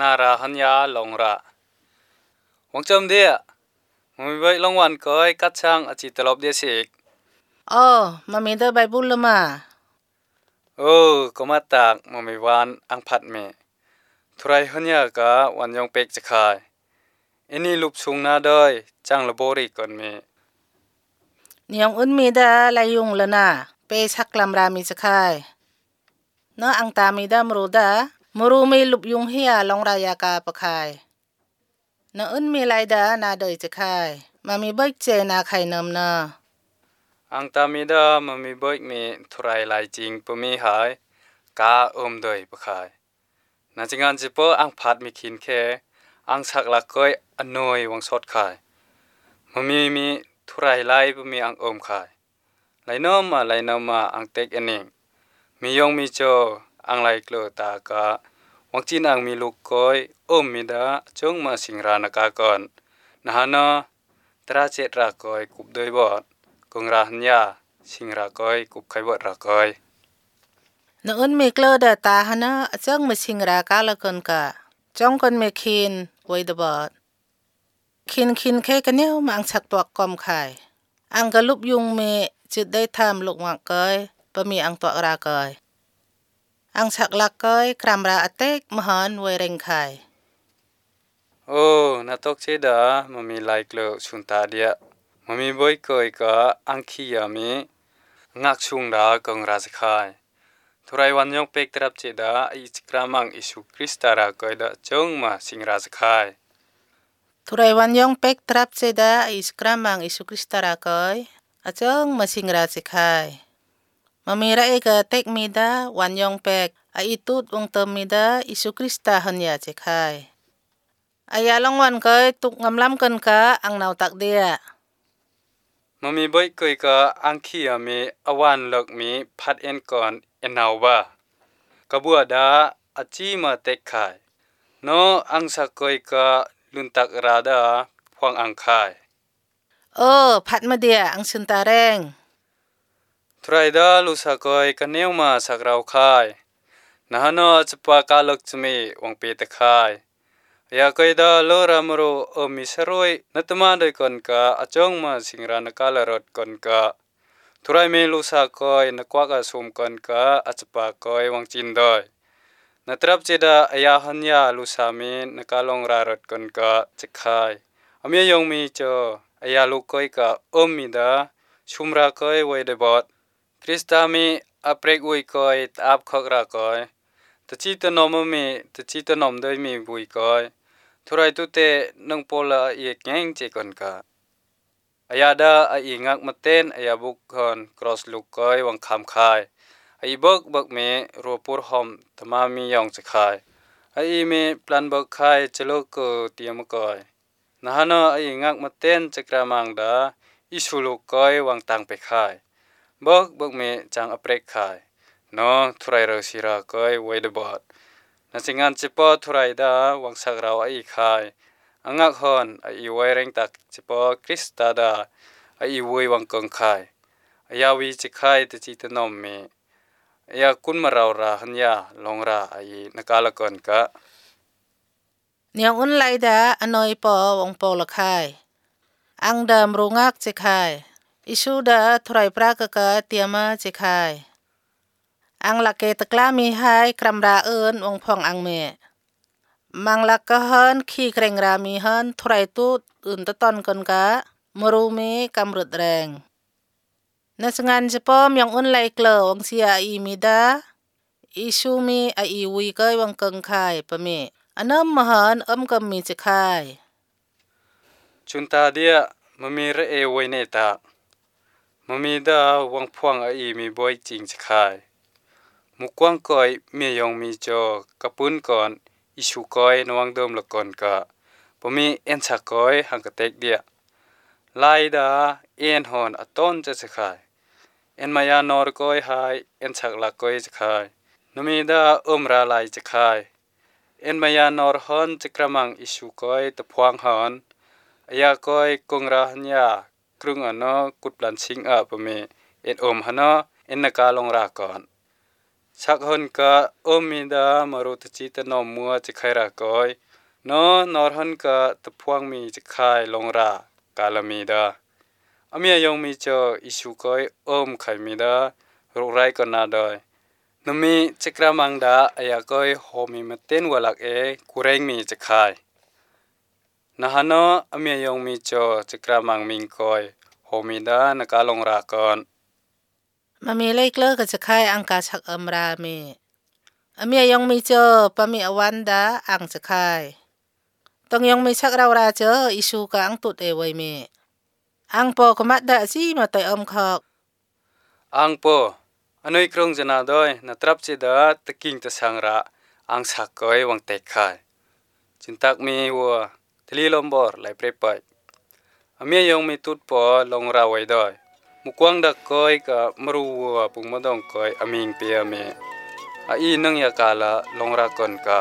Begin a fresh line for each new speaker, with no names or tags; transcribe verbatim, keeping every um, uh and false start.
นาราหันยาลงระวังจำเดียมันมีใบลงวันก้อยกัดช่างอาจิตลบเดียสิก
อ๋อมามีเดอใบบุญละมา
เออก็มาตากมันมีวันอังผัดเมทุไรหันยากะวันยองเป็กจะขายอันนี้ลูกชุงนาดอยจังละโบรีก่อนเม
นี่ยองอึนมีเดอลายยุงละนะเปชักลำรามีจะขายเนาะอังตามีเดอมรูเดอมรูมีลุบยุงเฮียลองรายากาปะขายเนาะอึนมีลายเดอนาเดยจะขายมามีเบิกเจนาไข่เนมเนาะ
อังตามีเดอมามีเบิกมีทุไรลายจริงปมีหายกาอมเดยปะขายนาจิงานจิปออังผัดมีขินเคอังสักลักก้อยอนอยวังสดขายมามีมีทุไรลายปมีอังอมขายไลโนมาไลโนมาอังเต็กเองมียองมีโจอังไลเกลตากะวังจีนอังมีลูกก้อยอมมีดาจงมาสิงรานากาก่อนนะฮะเนาะตราเจตรากอยกุบโดยบอดกงราหันยาสิงรากอยกุบไขบอดรากอย
เนาะอึนมีเกลเดตาฮะนะจังมาสิงรากาละกันกะจ้องกันเมคินไว้ดบอดคินคินแค่กันเนี่ยมาอังชักตัวกอมไข่อังกะลุบยุงเมจุดได้ทำลูกวังเกยปะมีอังตัวรากอยอังชักลักเกยครามราอเตกมหันไวเร่งไข่
โอ้นาตกเชดามันมีไลเกลชุนตาเดียมันมีบอยเกยกะอังคียามีงักชุงดากงราชคายทุไรวันยองเป็กตรับเจดาอิจกรามังอิสุคริสตารากอยดาจงมาสิงราชคาย
ทุไรวันยองเป็กตรับเจดาอิสกรามังอิสุคริสตารากอยอาจงมาสิงราชคายมามีระเอกเต็กมีดาวันยองเป็กอาอิตุดวงเติมมีดาอิสุคริสตาหันยาเจคายอายาลองวันเคยตุกงำล้ำกันกะอังนาวตักเดีย
มันมีบอยเกยกะอังคียามีอวันเลิกมีพัดเอ็นก่อนเอ็นนาวบากะบัวดาอาจีมาเต็กขายโนอังสักเกยกะลุนตักราดาพวงอังคาย
เออพัดมาเดียอังชุนตาแรง
ทรายดาลุสะกอยกะเนียวมาสักเราคายนะฮะนอจปากาลกจมีวังเปตะคายยาเกยดาโลรามโรอมิสรวยนัตมาโดยก่อนกะอจงมาสิงรานกาลรถก่อนกะทุไรเมลุสะกอยนกวากะสุมก่อนกะอจปากอยวังจินดอยนตรับเจดาอายาหันยาลุสามีนกาลงรารถก่อนกะจะคายอเมียยงมีเจออายาลุกอยกะอมมีดาชุมรากอยไวเดบอดคริสตามีอเปรกอุยกอยตาบขกรากอยตะจีตะนอมมีตะจีตะนอมโดยมีบุยกอยทุไรตุเตนังโปลาเอกแงงเจก่อนกะอายาดาไองักมาเต้นอายาบุกคนครอสลุกกอยวังคำคายไอเบิกเบิกเมรัวปูรหอมธมามียองจะคายไอเมปลันเบิกคายจะโลกเกเตียมกอยนะฮะเนาะไองักมาเต้นจะกระมังดาอิสุลุกกอยวังตังไปคายเบิกเบิกเมจังอเปรกคายเนาะทุไรเรศิรากอยไวเดบอดนาสิงานจิปอทุไรดาวังสักเราไอคายอังงักฮอนไอไวเร่งตักจิปอคริสตาดาไอไววังกงคายอายาวีจิคายตจิตนอมเมอายาคุณมาเราราหันยาลงราไอนกาลกอนกะ
เนี่ยอุนไลดาอนอยปอวงปอละคายอังเดิมรุงักจิคายอิชูดาทุไรปรากะกะเตียมาจิคายอังลักเกตะกลามีหายครำราเอินวงพองอังเมมังลักกะเฮินขี้เกรงรามีเฮินทุไรตูดอื่นตะตอนกันกะมรูมีกำรุดแรงนสงานจะป้อมยังอุนไลเกลอวงเสียอีมีดาอีชูมีไออีวีเกยวังเกิงคายปะเมอันน้ำมหันอมกำมีจะคาย
ชุนตาเดียมมีระเอไวเนตามมีดาวังพวงไอมีบอยจริงจะคายมุกวางกอยเมียยองมีจอกระปุ้นก่อนอิชูกอยนวังเดิมละก่อนกะปมีเอ็นชักกอยหังกะเต็กเดียไลดาเอ็นหอนอต้นจะจะขายเอ็นมายานอร์กอยหายเอ็นชักลักกอยจะขายนมีดาอมราไลจะขายเอ็นมายานอร์ฮอนจะกระมังอิชูกอยตะพวงหอนอายากอยกงราหันยากรุงอนอกุดปลันชิงอาปมีเอ็นอมหนอเอ็นนกาลงราก่อน ชักหนกะอมีดามรุตจิตนอมัวจะไครากอยนอนอรหนกะตะพวงมีจะคายลงรากาลมีดาอเมียยงมีเจออิสุกอยอมไขมีดารุไรก็นาดอยนมีจะกระมังดาอายากอยโฮมีมเต้นวลักเอกุเรงมีจะคายนะฮะนออเมียยงมีเจอจะกระมังมิงกอยโฮมีดานกาลงรากอน
มามีเล็กเลิกก็จะคายอังกาชักอมรามีอเมียยองมีเจอปะมีอวันดาอังจะคายต้องยองมีชักเราราเจออิชูกะอังตุดเอไว้มีอังปอกมัดดาซีมาไตอมคอก
อังปออนอยครงจะนาดอยนาตรับเจดาตะกิงตะสังระอังสักก้อยวังเตกคายจินตักมีวัวทลีลมบอร์ไหลเปรไปอเมียยองมีตุดปอลงราไว้ดอยมุกวางดักก้อยกับมรูวัวปุงมะดองก้อยอมิงเปียเมอาอีนังยากาละลงรากอนกะ